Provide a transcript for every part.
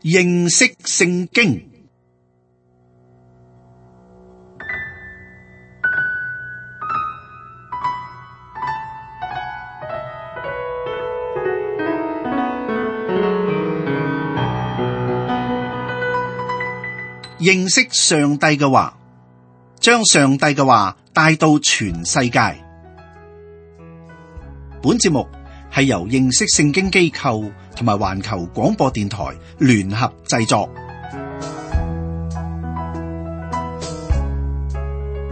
認識聖經。認識上帝嘅話，將上帝嘅話帶到全世界。本節目係由認識聖經機構同埋環球廣播電台聯合製作。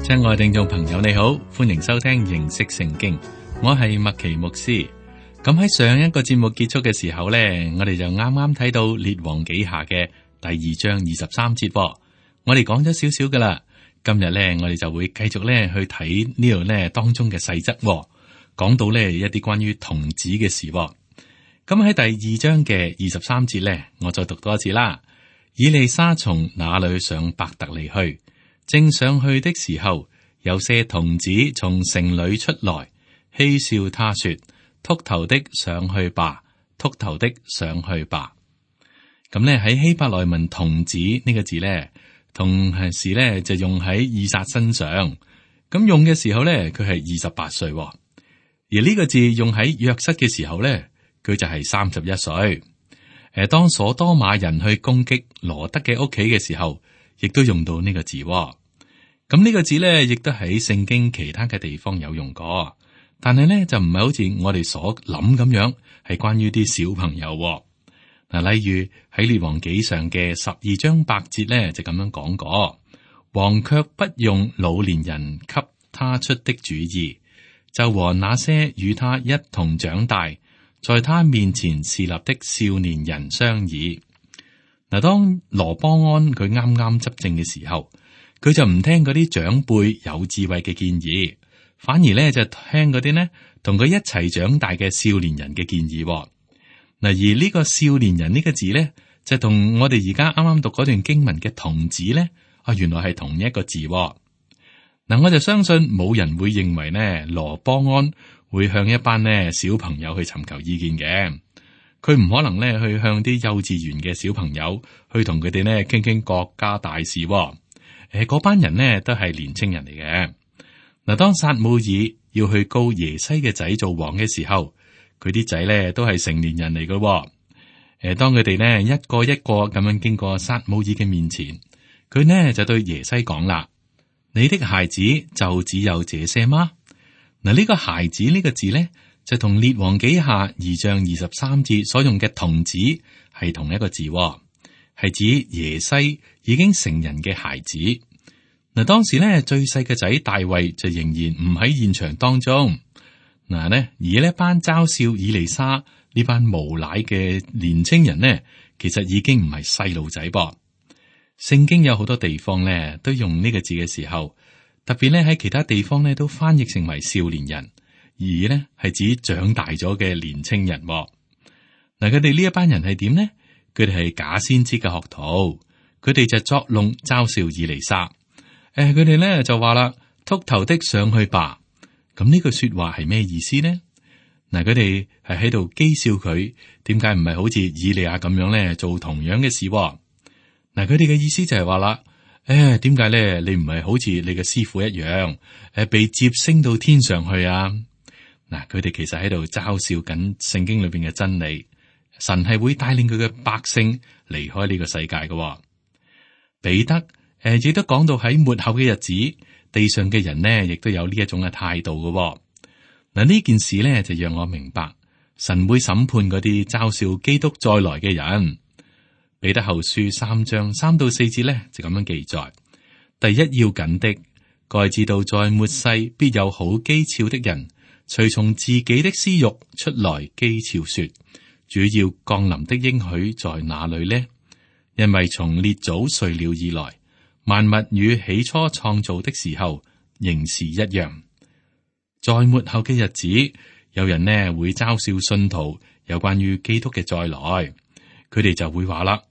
親愛聽眾朋友，你好，歡迎收聽認識聖經。我係麥奇牧師。咁喺上一個節目結束嘅時候呢，我哋就啱啱睇到列王紀下嘅第2章23節。我哋講咗少少噶啦，今日呢，我哋就會繼續呢去睇呢度呢當中嘅細則，講到呢一啲關於童子嘅事。咁喺第2章嘅23節呢，我再讀多一次啦。以利沙從那裏上伯特利去，正上去的時候，有些童子從城裏出來，嬉笑他說：禿頭的上去吧，禿頭的上去吧。咁呢喺希伯來文童子呢個字呢，同時呢就用喺以撒身上。咁用嘅時候呢，佢係28歲，而呢個字用喺約瑟嘅時候呢，佢就係31歲。當所多瑪人去攻擊羅德嘅屋企嘅時候，亦都用到呢個字。咁呢個字呢，亦都喺聖經其他嘅地方有用過，但係呢就唔係好似我哋所諗咁樣，係關於啲小朋友。嗱，例如喺列王紀上嘅12章8節呢，就咁樣講過：王卻不用老年人給他出的主意，就和那些與他一同長大，在他面前侍立的少年人商議。嗱，當羅波安佢啱啱執政嘅時候，佢就唔聽嗰啲長輩有智慧嘅建議，反而咧就聽嗰啲呢同佢一齊長大嘅少年人嘅建議。嗱，而呢個少年人呢個字咧，就同我哋而家啱啱讀嗰段經文嘅童子咧，原來係同一個字。嗱，我就相信冇人會認為呢羅波安會向一班呢小朋友去尋求意見嘅。佢唔可能咧去向啲幼稚園嘅小朋友去同佢哋呢傾傾國家大事。嗰班人呢都係年青人嚟嘅。嗱，當撒母耳要去膏耶西嘅仔做王嘅時候，佢啲仔咧都係成年人嚟嘅。當佢哋呢一個一個咁樣經過撒母耳嘅面前，佢呢就對耶西講啦：你的孩子就只有這些嗎？嗱，呢個孩子呢個字呢，就同列王紀下2章23節所用嘅童子係同一個字，係指耶西已經成人嘅孩子。嗱，當時呢最細嘅仔大衛就仍然唔喺現場當中。嗱，而呢班嘲笑以利沙呢班無賴嘅年青人呢，其實已經唔係細路仔噃。聖經有好多地方呢都用呢個字嘅時候，特別呢喺其他地方呢都翻譯成為少年人，而呢係指長大咗嘅年青人。嗱，佢哋呢一班人係點呢？佢哋係假先知嘅學徒，佢哋就作弄嘲笑以利沙。佢哋呢就話啦：禿頭的上去吧。咁呢句說話係咩意思呢？嗱，佢哋係喺度譏笑佢，點解唔係好似以利亞咁樣咧做同樣嘅事？嗱，佢哋嘅意思就係話啦，點解咧你唔係好似你嘅師傅一樣，被接升到天上去啊？嗱，佢哋其實喺度嘲笑緊聖經裏邊嘅真理，神係會帶領佢嘅百姓離開呢個世界嘅。彼得亦都講到喺末後嘅日子，地上嘅人呢，亦都有呢一種嘅態度嘅。嗱，呢件事呢，就讓我明白，神會審判嗰啲嘲笑基督再來嘅人。彼得後書3章3到4節呢，就咁樣記載：第一要緊的，該知道在末世必有好譏誚的人，隨從自己的私欲出來譏誚說：主要降臨的應許在哪裏呢？因為從列祖睡了以來，萬物與起初創造的時候仍是一樣。在末後嘅日子，有人呢會嘲笑信徒有關於基督嘅再來，佢哋就會話啦：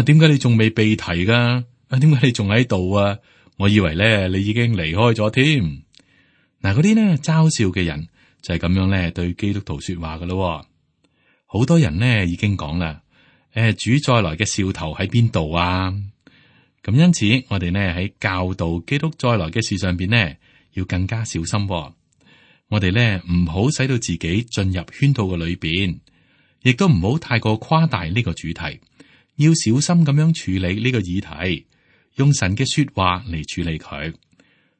點解你仲未被提噶？點解你仲喺度啊？我以為咧你已經離開咗添。嗱，嗰啲呢嘲笑嘅人就係咁樣咧對基督徒說話噶咯。好多人呢已經講啦，主再來嘅兆頭喺邊度啊？咁因此，我哋呢喺教導基督再來嘅事上邊呢，要更加小心喎。我哋呢唔好使到自己進入圈套嘅裏邊，亦都唔好太過誇大呢個主題。要小心咁樣處理呢個議題，用神嘅說話嚟處理佢。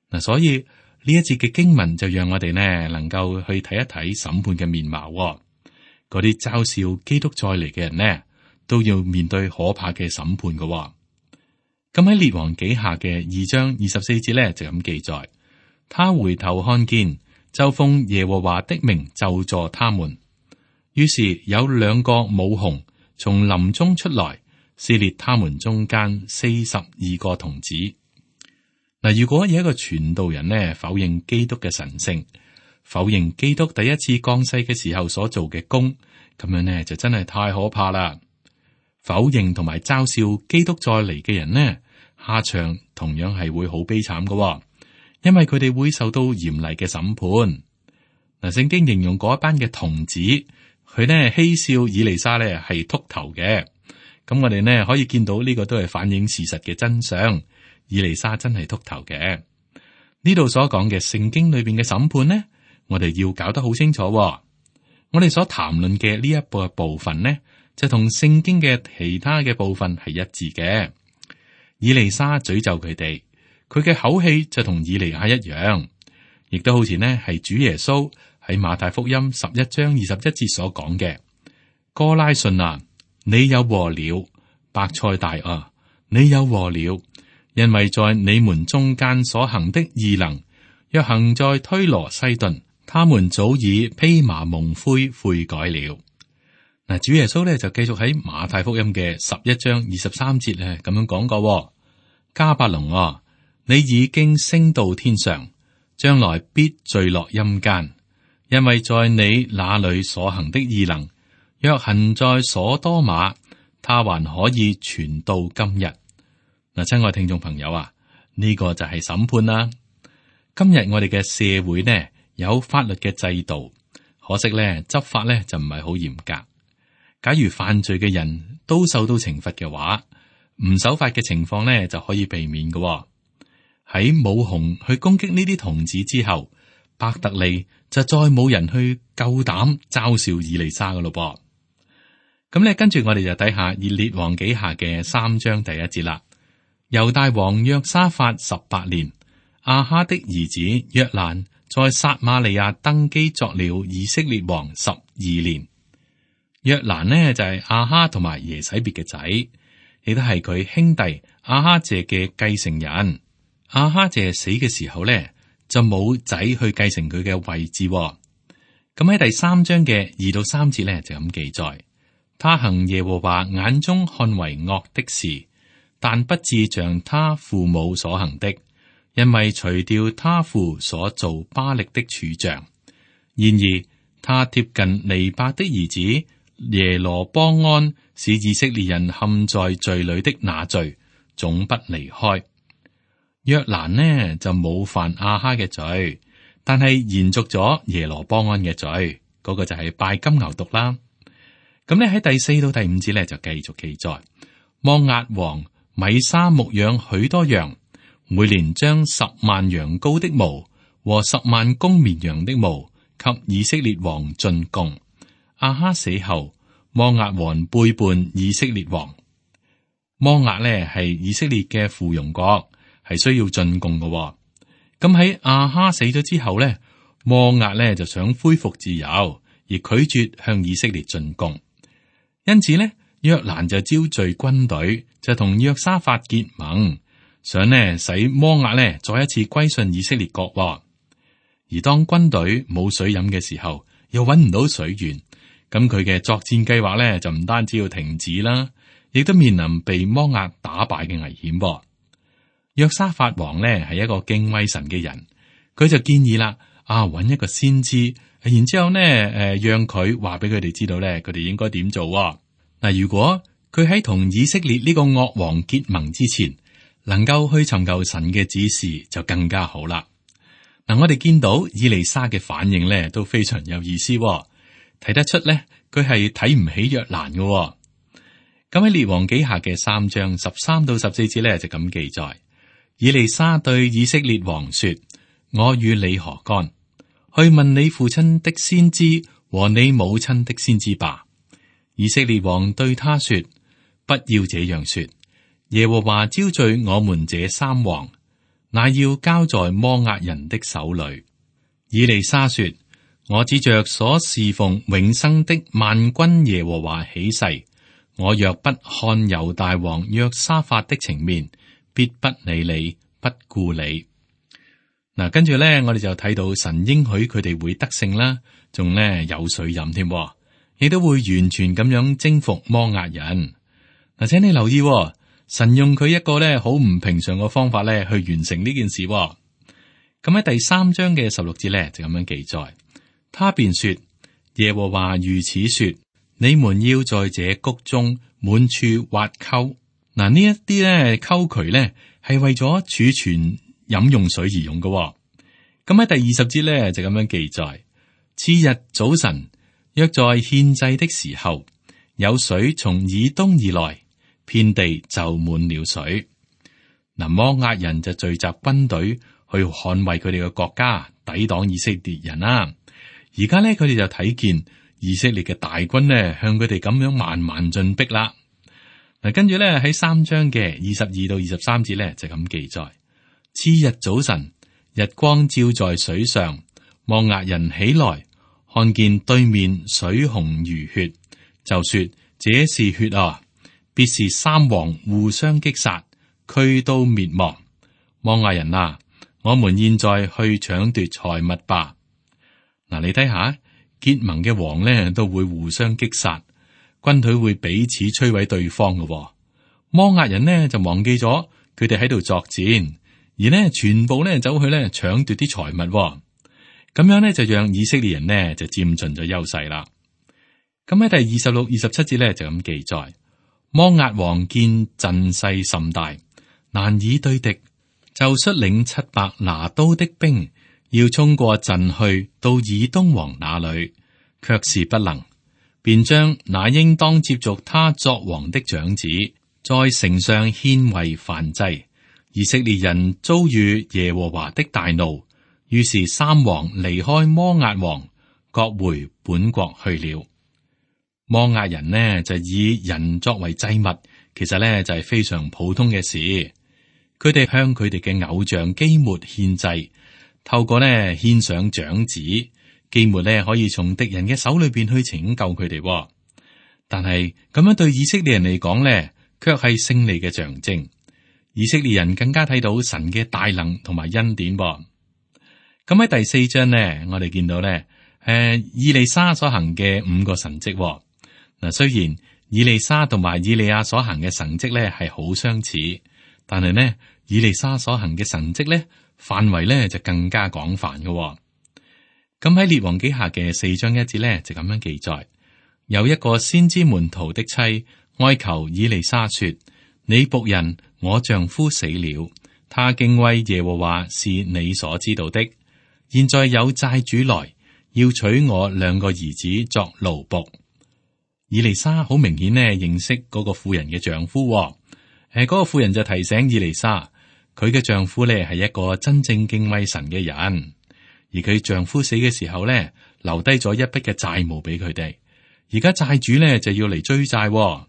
嗱，所以呢一節嘅經文就讓我哋呢能夠去睇一睇審判嘅面貌喎。嗰啲嘲笑基督再嚟嘅人呢，都要面對可怕嘅審判嘅喎。咁喺列王紀下嘅2章24節咧就咁記載，他回頭看見，就奉耶和華的名咒詛他們。於是有2個母熊從林中出來，撕裂他們中間42個童子。嗱，如果有一個傳道人呢否認基督嘅神聖，否認基督第一次降世嘅時候所做嘅工，咁樣呢就真係太可怕啦。否認同埋嘲笑基督再嚟嘅人呢，下場同樣係會好悲慘嘅喎，因為佢哋會受到嚴厲嘅審判。嗱，聖經形容嗰一班嘅童子，佢呢嬉笑以利沙呢係禿頭嘅。咁我哋呢可以見到呢個都係反映事實嘅真相，以利沙真係禿頭嘅。呢度所講嘅聖經裏邊嘅審判呢，我哋要搞得好清楚喎。我哋所談論嘅呢一部分呢，就同聖經嘅其他嘅部分係一致嘅。以利沙詛咒佢哋，佢嘅口氣就同以利亞一樣，亦都好似呢係主耶穌喺馬太福音11章21節所講嘅：哥拉汛啊，你有禍了；伯賽大啊，你有禍了，因為在你們中間所行的異能，若行在推羅西頓，他們早已披麻蒙灰悔改了。嗱，主耶穌咧就繼續喺馬太福音嘅11章23節咧咁樣講過：迦百農啊，你已經升到天上，將來必墜落陰間，因為在你那裏所行的異能，若行在所多瑪，他還可以傳到今日。嗱，親愛聽眾朋友啊，呢個就係審判啦。今日我哋嘅社會呢有法律嘅制度，可惜咧執法咧就唔係好嚴格。假如犯罪嘅人都受到懲罰嘅話，唔守法嘅情況呢就可以避免嘅。喺母熊去攻擊呢啲童子之後，伯特利就再冇人去夠膽嘲笑以利沙嘅咯噃。咁咧跟住我哋就睇下以列王紀下嘅3章第1節啦。猶大王約沙法18年，亞哈的兒子約蘭在撒瑪利亞登基作了以色列王12年。約蘭呢就係亞哈同埋耶洗別嘅仔，亦都係佢兄弟亞哈謝嘅繼承人。亞哈謝死嘅時候呢，就冇仔去繼承佢嘅位置。咁喺第3章嘅2到3節呢，就咁記載：他行耶和華眼中看為惡的事，但不至像他父母所行的，因為除掉他父所造巴力的柱像。然而他貼近尼伯的兒子耶羅波安，使以色列人陷在罪裏的那罪，總不離開。約蘭呢就冇犯亞哈嘅罪，但係延續咗耶羅波安嘅罪，嗰個就係拜金牛犢啦。咁呢喺第4到第5節呢就繼續記載：摩押王米沙牧養許多羊，每年將10萬羊羔的毛和10萬公綿羊的毛給以色列王進貢。亞哈死後，摩押王背叛以色列王。摩押呢係以色列嘅附庸國，係需要進貢嘅。咁喺亞哈死咗之後呢，摩押呢就想恢復自由，而拒絕向以色列進貢。因此呢，約蘭就招聚軍隊，就同約沙法結盟，想呢使摩押呢再一次歸順以色列國。而當軍隊冇水飲嘅時候，又搵唔到水源。咁佢嘅作戰計劃咧就唔單止要停止啦，亦都面臨被摩押打敗嘅危險。約沙法王咧係一個敬畏神嘅人，佢就建議啦，搵一個先知，然之後咧讓佢話俾佢哋知道咧，佢哋應該點做。嗱，如果佢喺同以色列呢個惡王結盟之前，能夠去尋求神嘅指示，就更加好啦。嗱，我哋見到以利沙嘅反應咧都非常有意思。睇得出咧，佢係睇唔起約蘭嘅。咁喺列王紀下嘅3章13到14節咧就咁記載：以利沙對以色列王說：我與你何干？去問你父親的先知和你母親的先知吧。以色列王對他說：不要這樣說，耶和華招聚我們這3王，乃要交在摩押人的手裏。以利沙說：我指着所侍奉永生的萬軍耶和華起誓，我若不看猶大王約沙法的情面，必不理你，不顧你。嗱，跟住咧，我哋就睇到神應許佢哋會得勝啦，仲咧有水飲添，亦都會完全咁樣征服摩押人。嗱，請你留意，神用佢一個咧好唔平常嘅方法咧去完成呢件事。咁喺第3章嘅16節咧就咁樣記載，他便說：耶和華如此說，你們要在這谷中滿處挖溝。嗱，呢一啲咧溝渠咧係為咗儲存飲用水而用嘅。咁喺第20節咧就咁樣記載：次日早晨，約在獻祭的時候，有水從以東而來，遍地就滿了水。嗱，摩押人就聚集軍隊去捍衛佢哋嘅國家，抵擋以色列人啦。而家咧佢哋就睇見以色列嘅大軍咧向佢哋咁樣慢慢進逼啦。嗱，跟住咧喺3章嘅22到23節咧就咁記載：次日早晨，日光照在水上，摩押人起來，看見對面水紅如血，就說：這是血啊！必是3王互相擊殺，俱都滅亡。摩押人啊，我們現在去搶奪財物吧。嗱，你睇下結盟嘅王咧都會互相擊殺。軍隊會彼此摧毀對方嘅。摩押人呢就忘記咗佢哋喺度作戰，而呢全部呢走去呢搶奪啲財物，咁樣呢就讓以色列人呢就佔盡咗優勢啦。咁喺第26、27節呢就咁記載：摩押王見陣勢甚大，難以對敵，就率領700拿刀的兵，要衝過陣去到以東王那裏，卻是不能。便將那應當接續他作王的長子，在城上獻為燔祭。以色列人遭遇耶和華的大怒，於是3王離開摩押王，各回本國去了。摩押人呢就以人作為祭物，其實呢就係非常普通嘅事。佢哋向佢哋嘅偶像基抹獻祭，透過呢獻上長子。基抹咧可以從敵人嘅手裏邊去拯救佢哋，但係咁樣對以色列人嚟講咧，卻係勝利嘅象徵。以色列人更加睇到神嘅大能同埋恩典。咁喺第4章咧，我哋見到咧，以利沙所行嘅5個神蹟。嗱，雖然以利沙同埋以利亞所行嘅神蹟咧係好相似，但係呢，以利沙所行嘅神蹟咧範圍咧就更加廣泛嘅。咁喺列王紀下嘅4章1節咧，就咁樣記載：有一個先知門徒的妻哀求以利沙說：你僕人我丈夫死了，他敬畏耶和華是你所知道的。現在有債主來要娶我2個兒子作奴僕。以利沙好明顯呢認識嗰個婦人嘅丈夫。嗰個婦人就提醒以利沙，佢嘅丈夫呢係一個真正敬畏神嘅人。而佢丈夫死嘅時候咧，留低咗一筆嘅債務俾佢哋。而家債主咧就要嚟追債。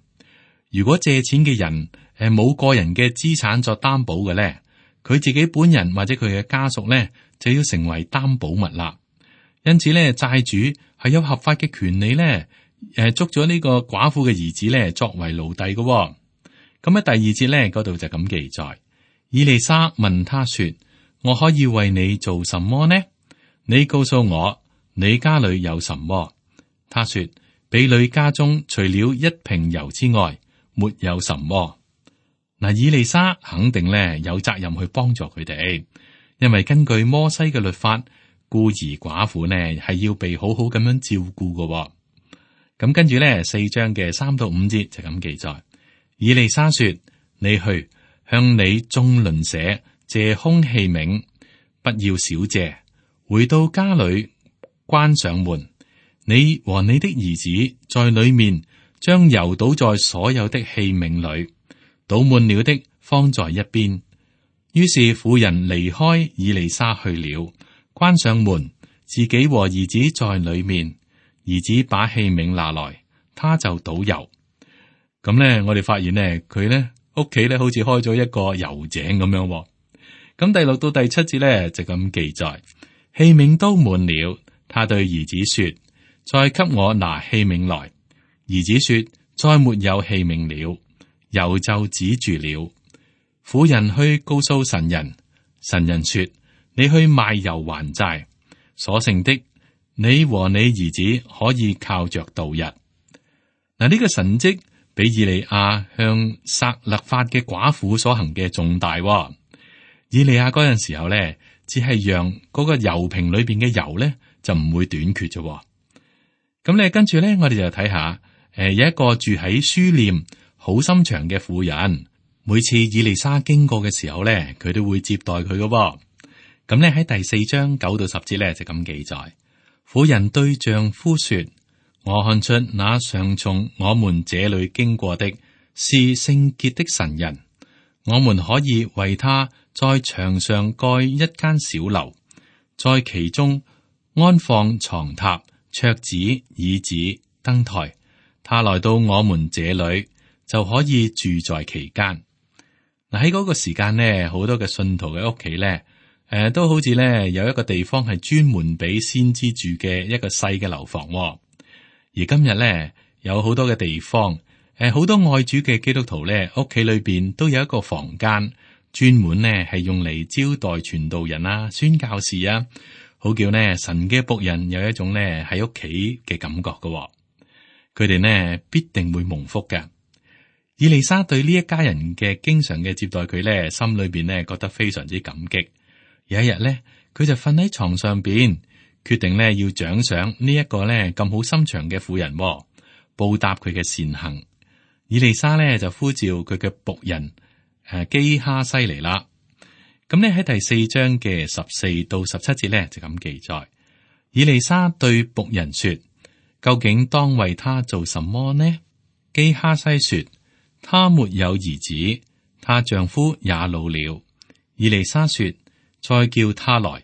如果借錢嘅人冇個人嘅資產作擔保嘅咧，佢自己本人或者佢嘅家屬咧就要成為擔保物啦。因此咧，債主係有合法嘅權利咧，捉咗呢個寡婦嘅兒子咧作為奴隸嘅。咁喺第2節咧嗰度就咁記載：以利沙問他說：我可以為你做什麼呢？你告訴我，你家裏有什麼？他說：婢女家中除了一瓶油之外，沒有什麼。嗱，以利沙肯定咧有責任去幫助佢哋，因為根據摩西嘅律法，孤兒寡婦呢係要被好好咁樣照顧嘅。咁跟住咧4章嘅3到5節就咁記載：以利沙說：你去向你眾鄰舍借空器皿，不要少借。回到家裏，關上門，你和你的兒子在裏面將油倒在所有的器皿裏，倒滿了的放在一邊。於是婦人離開以利沙去了，關上門，自己和兒子在裏面。兒子把器皿拿來，他就倒油。咁呢，我哋發現呢，佢呢屋企呢好似開咗一個油井咁樣。咁第6到第7節呢就咁記載，器皿都滿了，他對兒子說：再給我拿器皿來。兒子說：再沒有器皿了，油就止住了。婦人去告訴神人，神人說：你去賣油還債，所剩的你和你兒子可以靠着度日。嗱，呢個神蹟比以利亞向撒勒法嘅寡婦所行嘅重大。以利亞嗰陣時候咧，只係讓嗰個油瓶裏邊嘅油咧就唔會短缺啫。咁咧跟住咧，我哋就睇下，有一個住喺書念好心腸嘅婦人，每次以利沙經過嘅時候咧，佢都會接待佢嘅。咁咧喺第4章9到10節咧就咁記載，婦人對丈夫說：我看出那常從我們這裏經過的是聖潔的神人，我們可以為他在牆上蓋一間小樓，在其中安放床榻、桌子、椅子、燈台。他來到我們這裏，就可以住在其間。嗱，喺嗰個時間呢，好多嘅信徒嘅屋企咧，都好似咧有一個地方係專門俾先知住嘅一個細嘅樓房。而今日咧有好多嘅地方，好多愛主嘅基督徒咧屋企裏邊都有一個房間，專門呢係用嚟招待傳道人啊、宣教士啊，好叫呢神嘅僕人有一種呢喺屋企嘅感覺嘅。佢哋呢必定會蒙福嘅。以利沙對呢一家人嘅經常嘅接待佢呢，心裏邊呢覺得非常之感激。有一日呢，佢就瞓喺床上邊，決定呢要獎賞呢一個呢咁好心腸嘅婦人，報答佢嘅善行。以利沙呢就呼召佢嘅僕人基哈西嚟啦。咁呢喺第4章嘅14到17節呢就咁記載，以利沙對僕人說：究竟當為他做什麼呢？基哈西說：他沒有兒子，他丈夫也老了。以利沙說：再叫他來。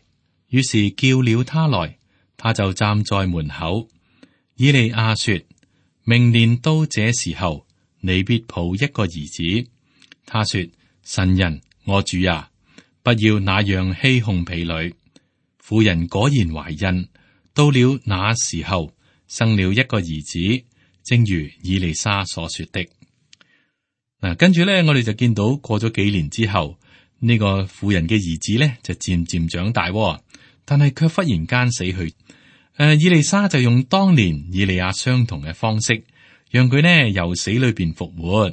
於是叫了他來，他就站在門口。以利亞說：明年到這時候，你必抱一個兒子。他說：神人，我主啊，不要那樣欺哄婢女。婦人果然懷孕，到了那時候，生了一個兒子，正如以利沙所說的。嗱，跟住咧，我哋就見到過咗幾年之後，呢個婦人嘅兒子咧就漸漸長大，但係卻忽然間死去。以利沙就用當年以利亞相同嘅方式，讓佢呢由死裏邊復活。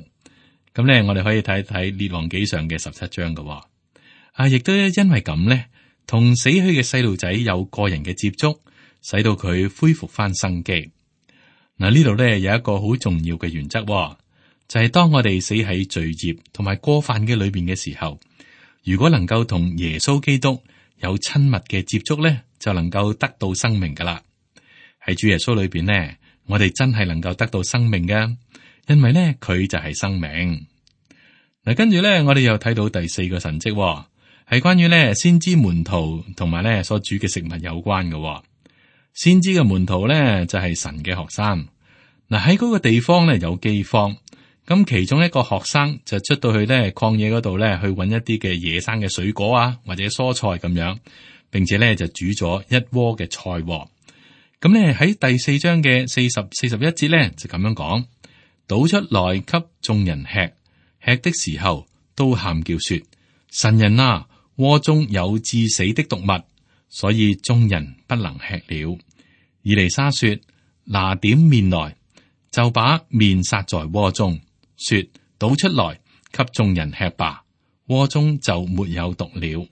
咁咧，我哋可以睇睇列王紀上嘅17章嘅。亦都因為咁咧，同死去嘅細路仔有個人嘅接觸，使到佢恢復翻生機。嗱，呢度咧有一個好重要嘅原則，就係當我哋死喺罪孽同埋過犯嘅裏邊嘅時候，如果能夠同耶穌基督有親密嘅接觸咧，就能夠得到生命噶啦。喺主耶穌裏邊呢，我哋真係能夠得到生命嘅，因為呢，佢就係生命。嗱，跟住咧，我哋又睇到第4個神蹟，係關於咧先知門徒同埋咧所煮嘅食物有關嘅。先知嘅門徒咧就係神嘅學生。嗱，喺嗰個地方咧有饑荒，咁其中一個學生就出到去咧曠野嗰度咧去搵一啲嘅野生嘅水果啊或者蔬菜咁樣，並且咧就煮咗一鍋嘅菜。咁咧喺第4章嘅40、41節咧就咁樣講，倒出來給眾人吃，吃的時候都喊叫說：神人啊，鍋中有致死的毒物，所以眾人不能吃了。以利沙說：拿點麵來，就把麵撒在鍋中，說：倒出來給眾人吃吧，鍋中就沒有毒了。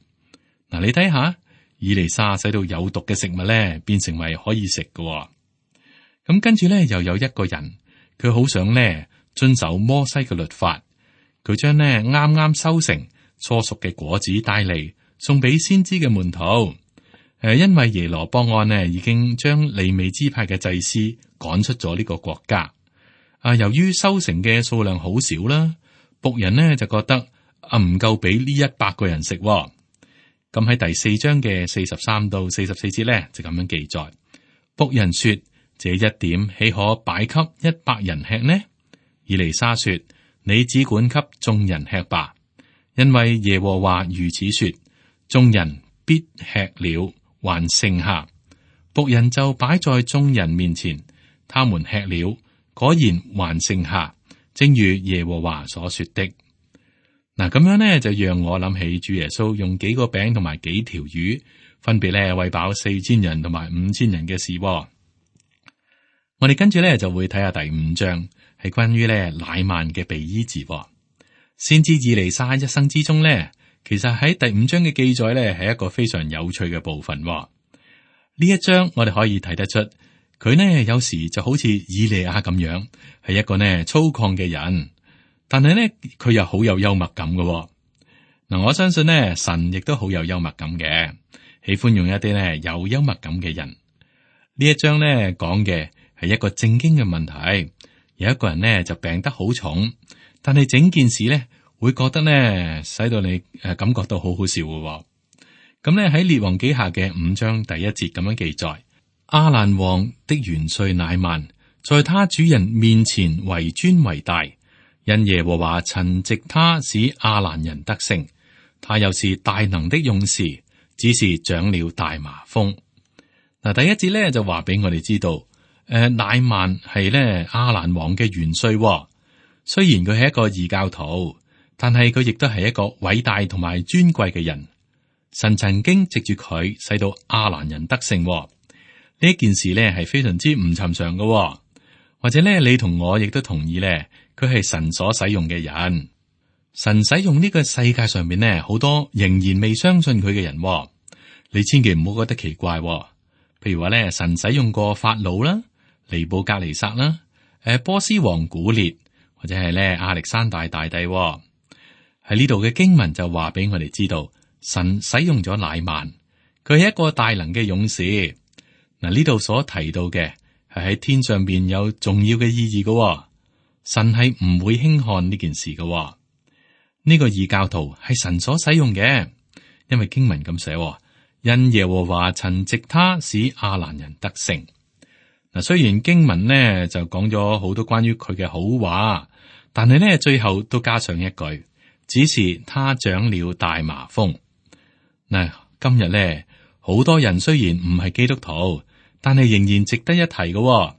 嗱，你睇下，以利沙使到有毒嘅食物咧變成為可以食嘅。咁跟住咧又有一個人，佢好想咧遵守摩西嘅律法，佢將呢啱啱收成初熟嘅果子帶嚟送俾先知嘅門徒。因為耶羅波安呢已經將利未支派嘅祭司趕出咗呢個國家。由於收成嘅數量好少啦，僕人呢就覺得唔夠俾呢100個人食。咁喺第4章嘅43到44節呢，就咁樣記載。僕人說：這一點豈可擺給100人吃呢？以利沙說：你只管給眾人吃吧，因為耶和華如此說：眾人必吃了，還剩下。僕人就擺在眾人面前，他們吃了，果然還剩下，正如耶和華所說的。嗱，咁樣呢，就讓我諗起主耶穌用幾個餅同埋幾條魚，分別咧餵飽4000人同埋5000人嘅事。我哋跟住咧就會睇下第5章，係關於咧乃縵嘅被醫治。先知以利沙一生之中咧，其實喺第5章嘅記載咧係一個非常有趣嘅部分。呢一章我哋可以睇得出，佢呢有時就好似以利亞咁樣，係一個呢粗獷嘅人。但係呢，佢又好有幽默感嘅。嗱，我相信呢，神亦都好有幽默感嘅，喜歡用一啲呢有幽默感嘅人。呢一章呢講嘅係一個正經嘅問題，有一個人呢就病得好重，但係整件事呢會覺得呢使到你感覺到好好笑嘅。咁呢喺列王紀下嘅5章第1節咁樣記載：亞蘭王的元帥乃縵，在他主人面前為尊為大。因耶和華曾藉他使亞蘭人得勝，他又是大能的勇士，只是長了大麻風。嗱，第1節咧就話俾我哋知道，乃縵係咧亞蘭王嘅元帥。雖然佢係一個異教徒，但係佢亦都係一個偉大同埋尊貴嘅人。神曾經藉住佢使到亞蘭人得勝。呢件事咧係非常之唔尋常嘅，或者咧你同我亦都同意咧。佢係神所使用嘅人，神使用呢個世界上面呢好多仍然未相信佢嘅人，你千祈唔好覺得奇怪。譬如話咧，神使用過法老啦、尼布甲尼撒啦、波斯王古列，或者係咧亞歷山大大帝。喺呢度嘅經文就話俾我哋知道，神使用咗乃縵，佢係一個大能嘅勇士。嗱，呢度所提到嘅係喺天上邊有重要嘅意義嘅。神係唔會輕看呢件事嘅。呢個異教徒係神所使用嘅，因為經文咁寫，因耶和華曾藉他使亞蘭人得勝。嗱，雖然經文呢就講咗好多關於佢嘅好話，但係呢最後都加上一句，只是他長了大麻風。嗱，今日呢好多人雖然唔係基督徒，但係仍然值得一提嘅。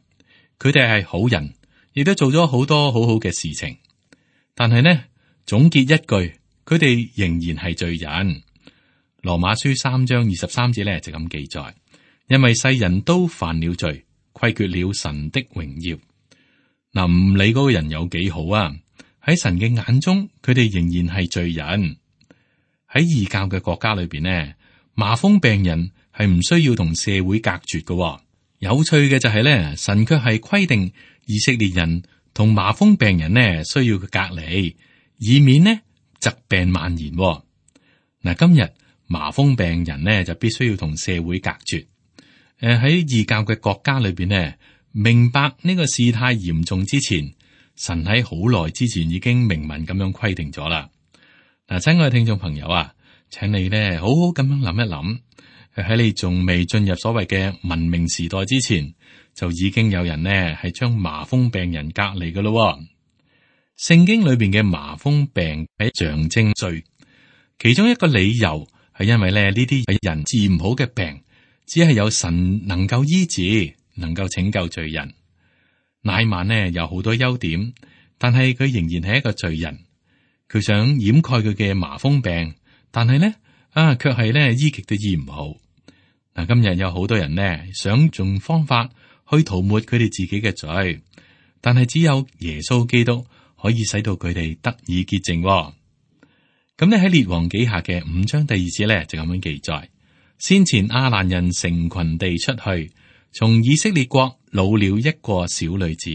佢哋係好人。亦都做咗好多好好嘅事情，但係呢，總結一句，佢哋仍然係罪人。羅馬書3章23節咧就咁記載，因為世人都犯了罪，虧缺了神的榮耀。嗱，唔理嗰個人有幾好啊，喺神嘅眼中，佢哋仍然係罪人。喺異教嘅國家裏邊呢，麻風病人係唔需要同社會隔絕嘅。有趣嘅就係咧，神卻係規定以色列人同麻風病人呢需要佢隔離，以免呢疾病蔓延。嗱，今日麻風病人呢就必須要同社會隔絕。喺異教嘅國家裏邊呢，明白呢個事態嚴重之前，神喺好耐之前已經明文咁樣規定咗啦。嗱，親愛嘅聽眾朋友啊，請你呢好好咁樣諗一諗，喺你仲未進入所謂嘅文明時代之前，就已經有人呢係將麻風病人隔離㗎咯。聖經裏邊嘅麻風病係象徵罪，其中一個理由係因為咧呢啲係人治唔好嘅病，只係有神能夠醫治，能夠拯救罪人。乃縵呢有好多優點，但係佢仍然係一個罪人。佢想掩蓋佢嘅麻風病，但係呢卻係呢醫極都醫唔好。嗱，今日有好多人呢想用方法去塗抹佢哋自己嘅罪，但係只有耶穌基督可以使到佢哋得以潔淨。咁呢喺列王紀下嘅5章第2節咧就咁樣記載：先前亞蘭人成群地出去，從以色列國擄了一個小女子，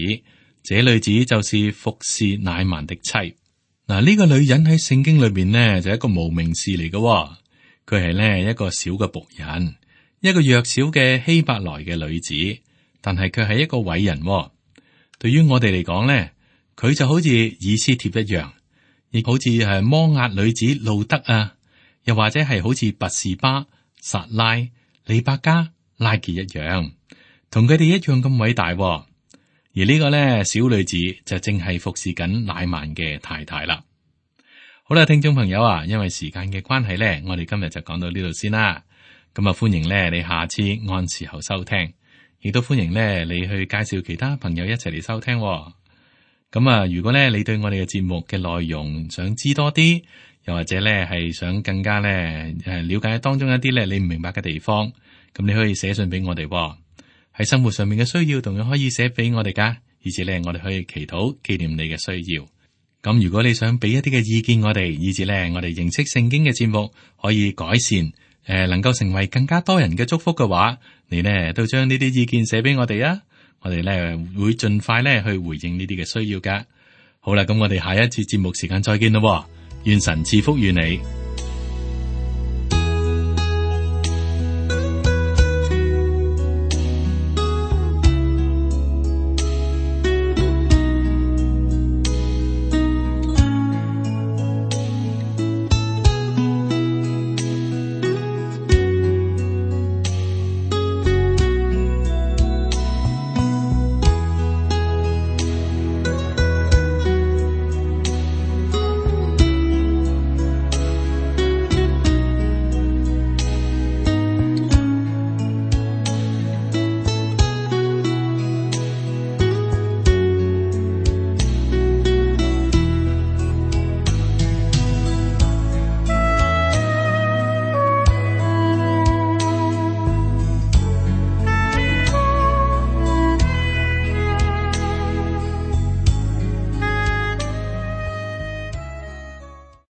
這女子就是服侍乃縵的妻。嗱，呢個女人喺聖經裏邊呢就係一個無名氏嚟嘅，佢係呢一個小嘅僕人，一個弱小嘅希伯來嘅女子，但係佢係一個偉人。對於我哋嚟講咧，佢就好似以斯帖一樣，亦好似係摩押女子路德啊，又或者係好似拔士巴、撒拉、利百加、拉結一樣，同佢哋一樣咁偉大。而呢個咧小女子就正係服侍緊乃縵嘅太太啦。好啦，聽眾朋友啊，因為時間嘅關係咧，我哋今日就講到呢度先啦。咁啊，歡迎咧你下次按時候收聽，亦都歡迎咧你去介紹其他朋友一齊嚟收聽。咁啊，如果咧你對我哋嘅節目嘅內容想知多啲，又或者咧係想更加咧了解當中一啲咧你唔明白嘅地方，咁你可以寫信俾我哋。喺生活上面嘅需要，同樣可以寫俾我哋噶，以至咧我哋可以祈禱紀念你嘅需要。咁如果你想俾一啲嘅意見我哋，以至咧我哋認識聖經嘅節目可以改善，能夠成為更加多人嘅祝福嘅話，你呢都將呢啲意見寫俾我哋啊！我哋咧會盡快咧去回應呢啲嘅需要噶。好啦，咁我哋下一次節目時間再見咯，願神賜福於你。